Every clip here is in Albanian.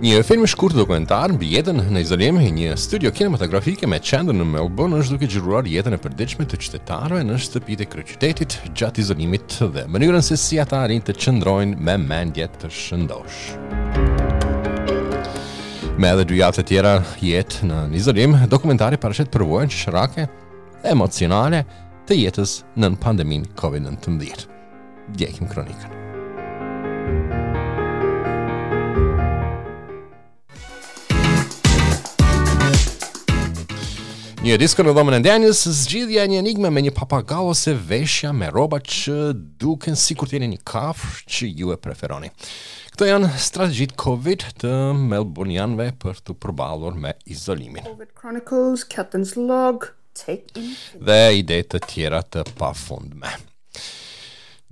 Një film i shkurtër dokumentar mbi jetën në izolim, një studio kinematografike me qendër në Melbourne është duke xhiruar jetën e përditshme të qytetarëve në shtëpitë e kryeqytetit gjatë izolimit dhe mënyrën se si ata arrijnë të qëndrojnë me mendje të shëndoshë. Me edhe dy javë të tjera jetë në izolim, dokumentari paraqet përvojën qesharake dhe emocionale të jetës nën pandeminë COVID-19. Ndjekim kronikën. Një disko në dhomën e ndenjës, zgjidhja e një enigme me një papagall ose veshja me rroba që duken sikur të jeni një kafshë që ju e preferoni. Këto janë strategjitë Covid të Melbournianëve për t'u përballur me izolimin. Covid Chronicles, Captain's Log, Take in. Dhe ide të tjera të pafundme.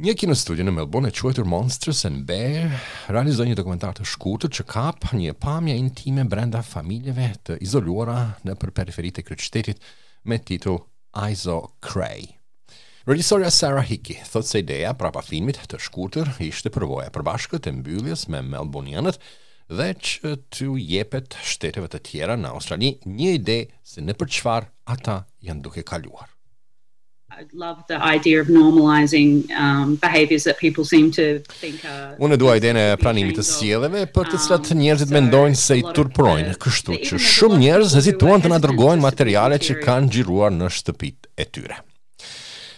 Një kinostudio në Melbourne e quajtur Monsters and Bear realizoi një dokumentar të shkurtër që kap një pamje intime brenda familjeve të izoluara nëpër periferitë e kryeqytetit me titull Iso Cray. Regjisorja Sarah Hickey thotë se ideja prapa filmit të shkurtër ishte përvoja e përbashkët e mbylljes me Melbournianët dhe që t'u jepet shteteve të tjera në Australi një ide se nëpër çfarë ata janë duke kaluar. I love the idea of normalizing um, behaviors that people seem to think are Unë dua idenë e pranimit të sjelljeve për të cilat um, njerëzit mendojnë se i turpërojnë, kështu që shumë njerëz hezituan të na dërgojnë materiale që kanë xhiruar në shtëpitë e tyre.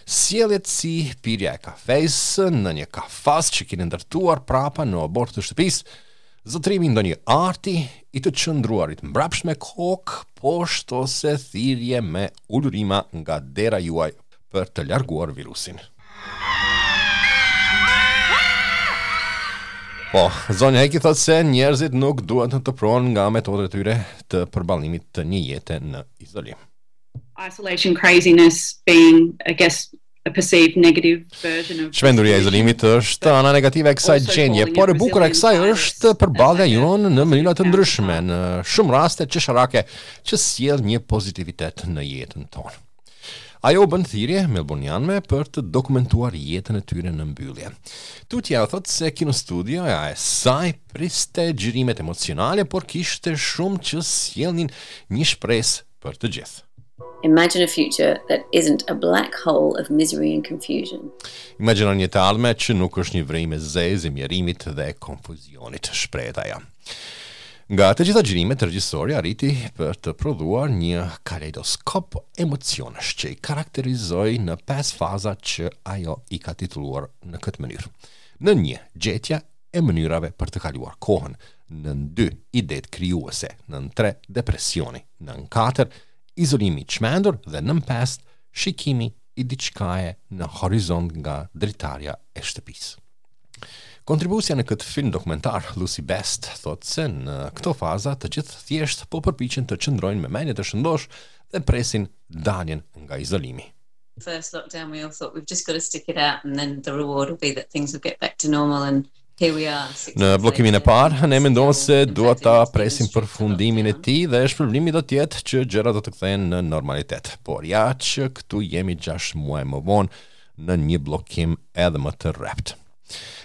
Sjelljet si pirja e kafesë në një kafaz që keni ndërtuar prapa në oborr të shtëpisë, zotërimi i ndonjë arti, i të qëndruarit mbrapsht me kokë poshtë ose thirrje me ulurima nga dera juaj për të larguar virusin. Po, zonja Hickey thotë se njerëzit nuk duhet të turpërohen nga metodat e tyre të përballimit të një jete në izolim. Isolation craziness being, I guess, a perceived negative version of Çmenduria e izolimit është ana negative e kësaj gjendje, por e bukura e kësaj është përballja jonë në mënyra të ndryshme, në shumë raste qesharake që sjell një pozitivitet në jetën tonë. Ajo u bën thirrje melburnianëve për të dokumentuar jetën e tyre në mbyllje. Tutje ajo thotë se kinostudioja e saj priste xhirimet emocionale, por kishte shumë që sjellnin një shpresë për të gjithë. Imagine a future that isn't a black hole of misery and confusion. Imagjino një të ardhme që nuk është një vrimë e zezë e mjerimit dhe konfuzionit, shprehet ajo. Nga të gjitha xhirimet, regjisori arriti për të prodhuar një kaleidoskop emocionesh që i karakterizoi në pesë faza që ajo i ka titulluar në këtë mënyrë. Nën një, gjetja e mënyrave për të kaluar kohën. Nën 2, idetë krijuese. Nën 3, depresioni. Nën 4, izolimi i çmendur dhe nën 5, shikimi i diçkaje në horizont nga dritarja e shtëpisë. Kontribuesja në këtë film dokumentar, Lucy Best, thotë se në këto faza të gjithë thjesht po përpiqen të qëndrojnë me mendje të shëndoshë dhe presin daljen nga izolimi. First lockdown we all thought we've just got to stick it out and then the reward will be that things will get back to normal and here we are. Në bllokimin e parë, ne menduam se duhet ta presim përfundimin e tij dhe shpërblimi do të jetë që gjërat do të kthehen në normalitet. Por ja që këtu jemi 6 muaj më vonë në një bllokim edhe më të rreptë.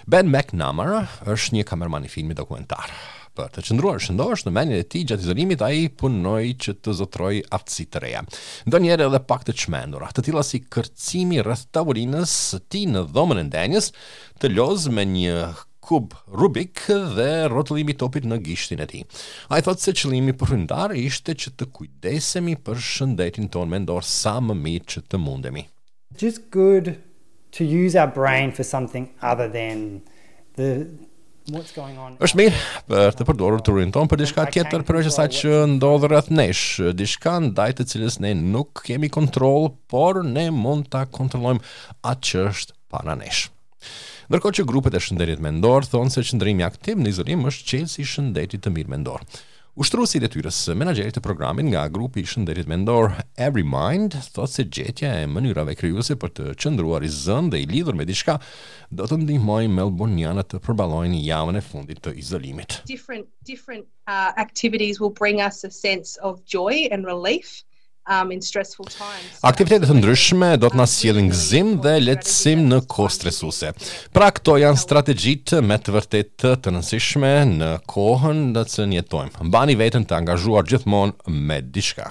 Ben McNamara është një kameraman i filmit dokumentar. Për të qëndruar shëndosh në mendjen e tij gjatë izolimit, ai punoi që të zotërojë aftësi të reja. Ndonjëherë edhe pak të çmendura, të tilla si kërcimi rreth tavolinës së tij në dhomën e ndenjës, të lozë me një kub Rubik dhe rrotullimi i topit në gishtin e tij. Ai thotë se qëllimi përfundimtar ishte që të kujdesemi për shëndetin tonë mendor sa më mirë që të mundemi. Just good to use our brain for something other than the what's going on. Është mirë për të përdorur trurin tonë për diçka tjetër përveç asaj që ndodh rreth nesh, diçka ndaj të cilës ne nuk kemi kontroll, por ne mund ta kontrollojmë atë që është para nesh. Ndërkohë që grupet e shëndetit mendor thonë se qëndrimi aktiv në izolim është çelësi i shëndetit të mirë mendor. Ushtruesi i detyrës së menaxherit të programit nga grupi i shëndetit mendor Everymind thotë se gjetja e mënyrave krijuese për të qëndruar i zënë dhe i lidhur me diçka do të ndihmojë melburnianët të përballojnë javën e fundit të izolimit. Different different uh, activities will bring us a sense of joy and relief. Um, in stressful times. Aktivitete të ndryshme do të na sjellin gëzim dhe lehtësim në kohë stresuese. Pra këto janë strategjitë me të vërtetë të rëndësishme në kohën në të cilën jetojmë. Mbani veten të angazhuar gjithmonë me diçka.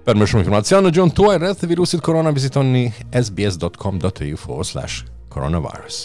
Për më shumë informacion në gjuhën tuaj rreth virusit korona vizitoni sbs.com.au forward slash coronavirus.